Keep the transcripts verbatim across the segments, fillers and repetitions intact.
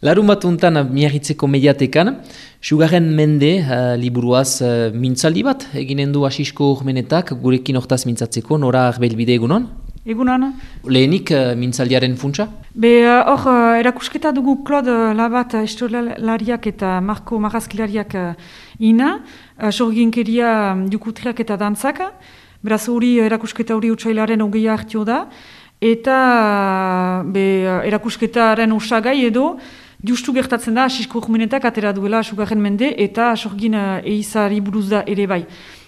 Larun bat untan Miarritzeko mediatekan, Sugarren Mende uh, liburuaz uh, mintzaldi bat, eginen du Asisko Urmenetak, gurekin hortaz mintzatzeko, nora arbelbide egunon? Egunon. Lehenik uh, mintzaldiaren funtsa? Be hor, uh, erakusketa dugu Claude Labat historialariak eta Marko Marrazkilariak uh, ina, uh, sorginkeria um, jukutriak eta dantzak, beraz hori erakusketa hori utsailaren hogeia hartio da, eta uh, be, uh, erakusketaren osagai edo, justu gertatzen da, Asisko Urmenetak atera duela Sugarren Mende eta sorgin uh, eizari buruz da ere bai.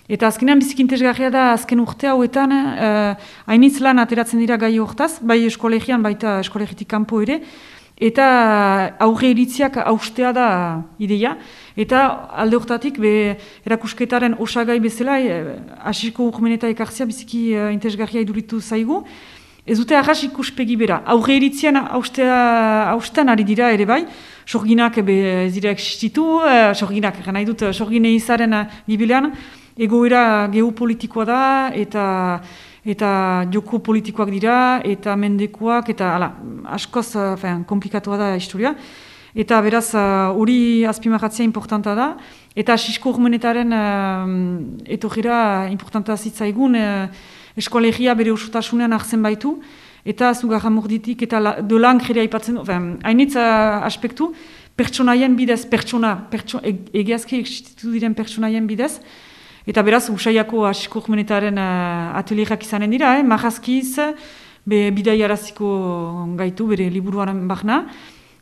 Eta azkenean bizikintesgarria da azken urte hauetan uh, hainitz lan ateratzen dira gai hortaz, bai eskolegian, baita eskolegitik kanpo ere, eta aurre iritziak haustea da ideia. Eta alde hortatik be, erakusketaren osagai bezala, eh, Asisko Urmeneta ekartzea biziki uh, interesgarria iduritu zaigu. Ez dute arras ikuspegi bera. Aurre iritzian haustean ari dira ere bai, sorginak ez dira existitu, uh, sorginak, nahi dut, sorgine izaren gibilean, egoera geopolitikoa da, eta eta joko politikoak dira, eta mendekoak, eta ala, askoz uh, komplikatua da historia. Eta beraz, hori uh, azpimarratzea importanta da, eta Asisko Urmenetaren uh, etorrira importanta zitzaigun, uh, eskolegia bere osotasunean hartzen baitu, eta Zugarramurditik eta la, de Langre aipatzen du, hainitz uh, aspektu, pertsonaien bidez, pertsona, pertso, e, egiazki existitu diren pertsonaien bidez, eta beraz, usaiako Asisko Urmenetaren uh, atelierak izanen dira, eh? Marrazkiz, be, bidaiaraziko gaitu, bere liburuaren bahna,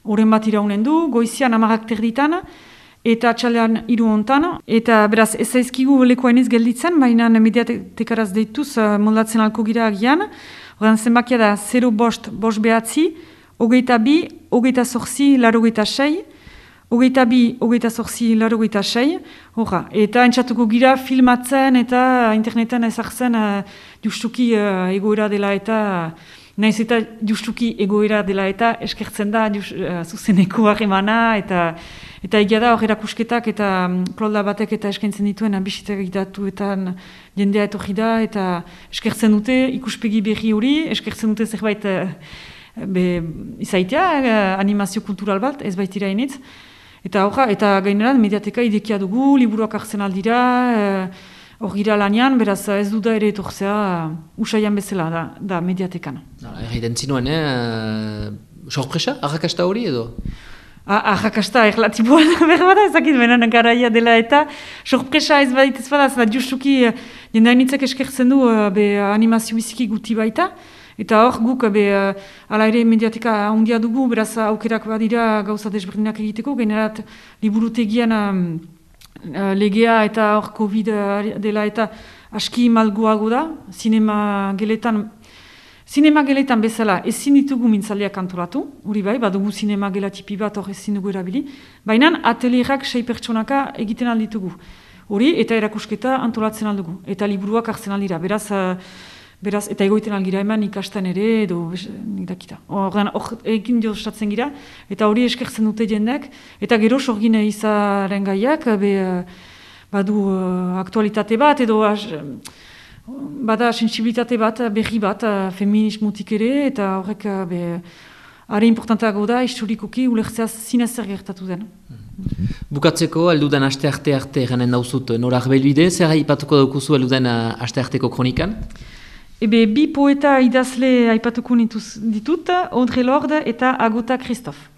horren bat iraunen du, goizian amarak terditan, eta atxalean hiru hontan, eta beraz ez zaizkigu lekoainiz gelditzen, baina mediatekaraz deituz uh, moldatzen alko gira agian. Horren zenbakia da zero bost, bost behatzi, hogeita bi, hogeita zorzi, larogeita sei, hogeita bi, hogeita zorzi, larogeita sei, horra. Eta entzatuko gira filmatzen eta interneten ezartzen uh, justuki uh, egoera dela eta naiz eta justuki egoera dela eta eskertzen da just, uh, zuzeneko harremana eta eta egia da hor erakusketak eta um, Claude batek eta eskaintzen dituen bisitak egitatuetan jendea etorri da eta eskertzen dute ikuspegi berri hori, eskertzen dute zerbait uh, be, izaitea, uh, animazio kultural bat, ez baitira initz. Eta horra, eta gaineran mediateka idekia dugu, liburuak hartzen aldira, uh, hor gira lanean, beraz ez du da ere etorzea uh, usaian bezala da, da mediatekan. Erraiten zinuen, eh? Sorpresa, arrakasta hori edo? Arrakasta erlatiboa da behar bada, ezakit benen garaia dela eta sorpresa ez badit ez bada, zela justuki jende hainitzak eskertzen du be, animazio biziki guti baita, eta hor guk be, ala ere mediateka handia dugu, beraz aukerak badira gauza desberdinak egiteko, generat liburutegian um, legea eta hor Covid dela eta aski malguago da, zinema geletan, Zinema geletan bezala ezin ditugu mintzaldiak antolatu, hori bai, badugu zinema gela tipi bat hor ezin dugu erabili, baina atelierak sei pertsonaka egiten alditugu. Hori eta erakusketa antolatzen aldugu, eta liburuak hartzen aldira, beraz, beraz eta egoiten algira eman ikasten ere, edo nik dakita. Hor egin diostatzen gira, eta hori eskertzen dute jendek, eta gero sorgin izaren gaiak, be, badu aktualitate bat, edo bada sensibilitate bat, berri bat, feminismotik ere, eta horrek be, are importantago da, historikoki ulertzea zinez zer gertatu den. Bukatzeko, aldudan aste arte arte eranen dauzut nora arbelbide, zer aipatuko daukuzu aldudan aste arteko kronikan? Ebe, bi poeta idazle aipatuko ditut, Audre Lorde eta Agota Christophe.